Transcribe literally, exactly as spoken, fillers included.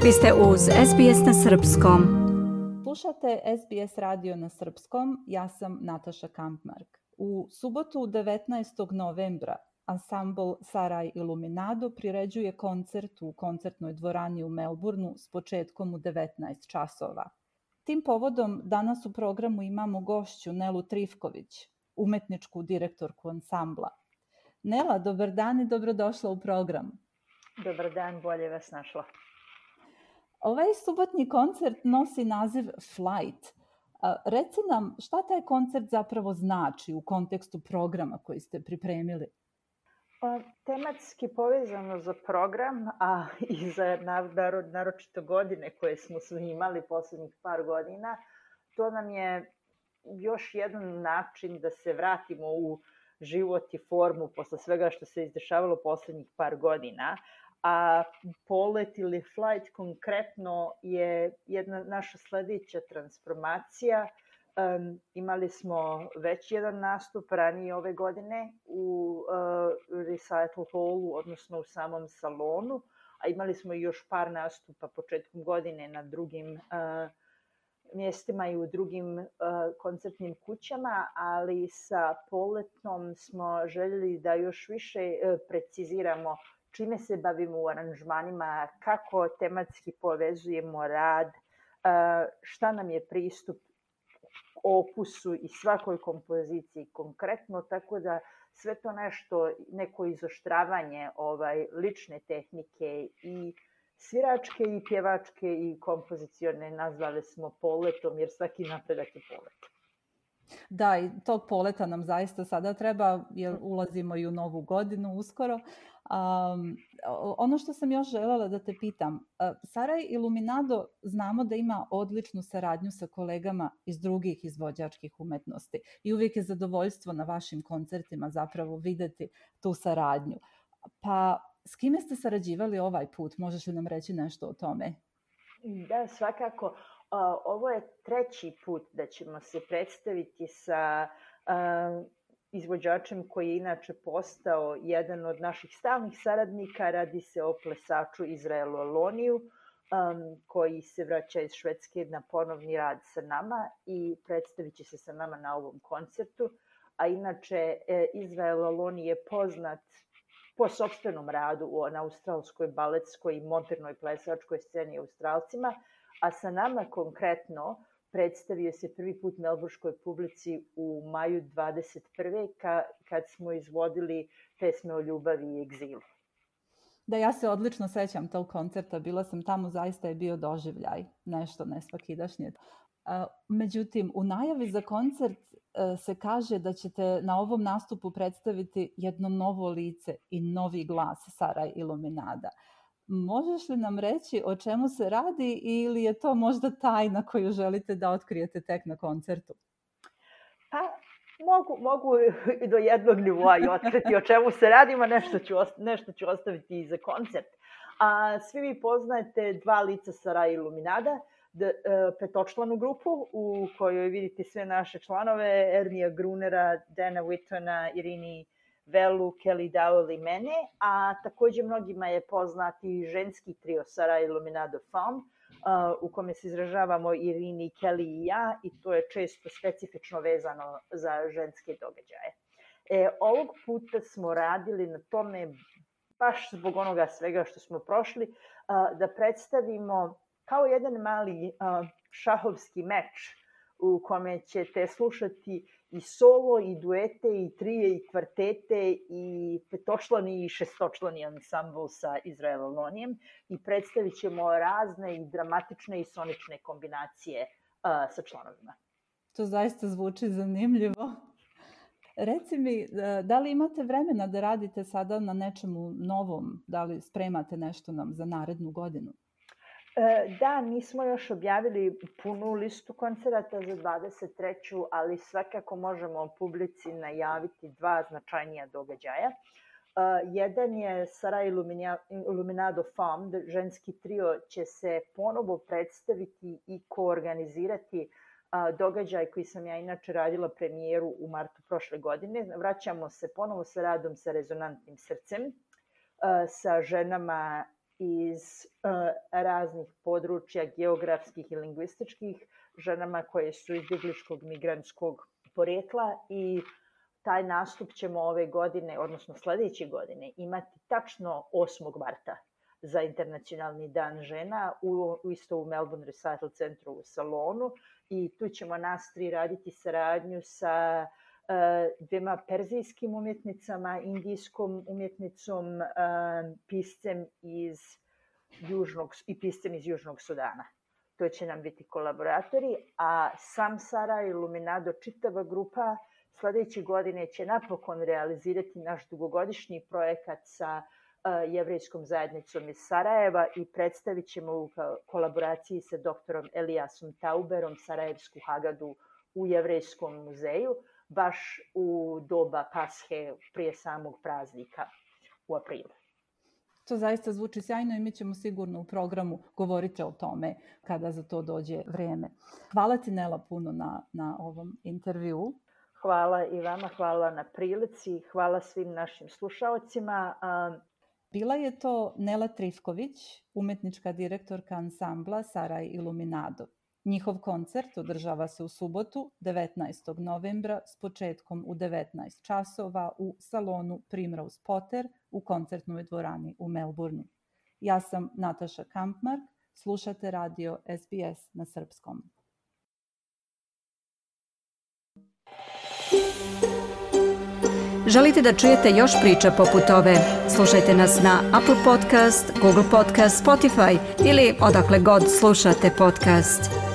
Vi ste uz S B S na srpskom. Slušate S B S radio na srpskom, ja sam Nataša Kampmark. U subotu devetnaestog novembra ansambl Saraj Iluminado priređuje koncert u koncertnoj dvorani u Melbourneu s početkom u devetnaest časova. Tim povodom danas u programu imamo gošću Nelu Trifković, umetničku direktorku ansambla. Nela, dobar dan i dobrodošla u program. Dobar dan, bolje vas našla. Ovaj subotnji koncert nosi naziv Flight. Reci nam šta taj koncert zapravo znači u kontekstu programa koji ste pripremili? Pa, tematski povezano za program, a i za naročito godine koje smo svi imali poslednjih par godina, to nam je još jedan način da se vratimo u život i formu posle svega što se izdešavalo poslednjih par godina. A polet ili flight konkretno je jedna naša sledeća transformacija. Um, imali smo već jedan nastup ranije ove godine u uh, Recital Hallu, odnosno u samom salonu, a imali smo još par nastupa početkom godine na drugim uh, mjestima i u drugim uh, koncertnim kućama, ali sa poletom smo željeli da još više uh, preciziramo čime se bavimo u aranžmanima, kako tematski povezujemo rad, šta nam je pristup opusu i svakoj kompoziciji konkretno, tako da sve to nešto, neko izoštravanje ovaj, lične tehnike i sviračke i pjevačke i kompozicione nazvali smo poletom, jer svaki napredak je polet. Da, i tog poleta nam zaista sada treba, jer ulazimo i u novu godinu uskoro. Um, ono što sam još željela da te pitam, uh, Saraj Iluminado znamo da ima odličnu saradnju sa kolegama iz drugih izvođačkih umetnosti i uvijek je zadovoljstvo na vašim koncertima zapravo videti tu saradnju. Pa s kime ste sarađivali ovaj put? Možeš li nam reći nešto o tome? Da, svakako. Ovo je treći put da ćemo se predstaviti sa uh, izvođačem koji je inače postao jedan od naših stalnih saradnika. Radi se o plesaču Izraelu Aloniju, um, koji se vraća iz Švedske na ponovni rad sa nama i predstavit će se sa nama na ovom koncertu. A inače, Izrael Aloni je poznat po sopstvenom radu na australskoj baletskoj i modernoj plesačkoj sceni Australcima, a sa nama konkretno predstavio se prvi put melburškoj publici u maju dvadeset prve ka, kad smo izvodili pesme o ljubavi i egzilu. Da, ja se odlično sećam tog koncerta, bila sam tamo, zaista je bio doživljaj, nešto nesvakidašnje. Međutim, u najavi za koncert se kaže da ćete na ovom nastupu predstaviti jedno novo lice i novi glas Saraj Iluminada. Možeš li nam reći o čemu se radi ili je to možda tajna koju želite da otkrijete tek na koncertu? Pa, mogu, mogu i do jednog nivoa i otkriti o čemu se radi, a nešto ću, nešto ću ostaviti i za koncert. A svi vi poznajete dva lica Saraj Iluminada, petočlanu grupu u kojoj vidite sve naše članove, Ernija Grunera, Dana Whittona, Irini Velu, Kelly Dowell i mene, a takođe mnogima je poznati ženski trio Saraj Iluminado Femme, uh, u kome se izražavamo Irini, Kelly i ja, i to je često specifično vezano za ženske događaje. E, ovog puta smo radili na tome, baš zbog onoga svega što smo prošli, uh, da predstavimo kao jedan mali uh, šahovski meč u kome ćete slušati i solo, i duete, i trije, i kvartete, i petočlani i šestočlani ansambl sa Izrael Alonijem i predstavit ćemo razne i dramatične i sonične kombinacije uh, sa članovima. To zaista zvuči zanimljivo. Reci mi, da li imate vremena da radite sada na nečemu novom? Da li spremate nešto nam za narednu godinu? Da, nismo još objavili punu listu koncerata za dvadeset treću, ali svakako možemo publici najaviti dva značajnija događaja. Jedan je Saraj Iluminado Femme, ženski trio će se ponovo predstaviti i koorganizirati događaj koji sam ja inače radila premijeru u martu prošle godine. Vraćamo se ponovo sa radom sa rezonantnim srcem, sa ženama iz uh, raznih područja geografskih i lingvističkih, ženama koje su izbjegličkog migrantskog porekla, i taj nastup ćemo ove godine, odnosno sljedeće godine, imati tačno osmog marta za Internacionalni dan žena u, isto u Melbourne Recital Centru u salonu, i tu ćemo nas tri raditi saradnju sa uh, dvema perzijskim umjetnicama, indijskom umjetnicom, uh, piscem iz južnog, i piscem iz Južnog Sudana. To će nam biti kolaboratori, a Samsara i Luminado, čitava grupa, sljedeće godine će napokon realizirati naš dugogodišnji projekat sa uh, jevrejskom zajednicom iz Sarajeva i predstavit ćemo u kolaboraciji sa doktorom Elijasom Tauberom Sarajevsku Hagadu u Jevrejskom muzeju, baš u doba Pashe prije samog praznika u aprilu. To zaista zvuči sjajno i mi ćemo sigurno u programu govoriti o tome kada za to dođe vrijeme. Hvala ti, Nela, puno na, na ovom intervjuu. Hvala i vama, hvala na prilici, hvala svim našim slušaocima. Bila je to Nela Trifković, umjetnička direktorka ansambla Saraj i Luminado. Njihov koncert održava se u subotu, devetnaestog novembra, s početkom u devetnaest časova u salonu Primrose Potter u koncertnoj dvorani u Melbourneu. Ja sam Nataša Kampmark, slušate radio S B S na srpskom. Želite da čujete još priča poput ove? Slušajte nas na Apple Podcast, Google Podcast, Spotify ili odakle god slušate podcast.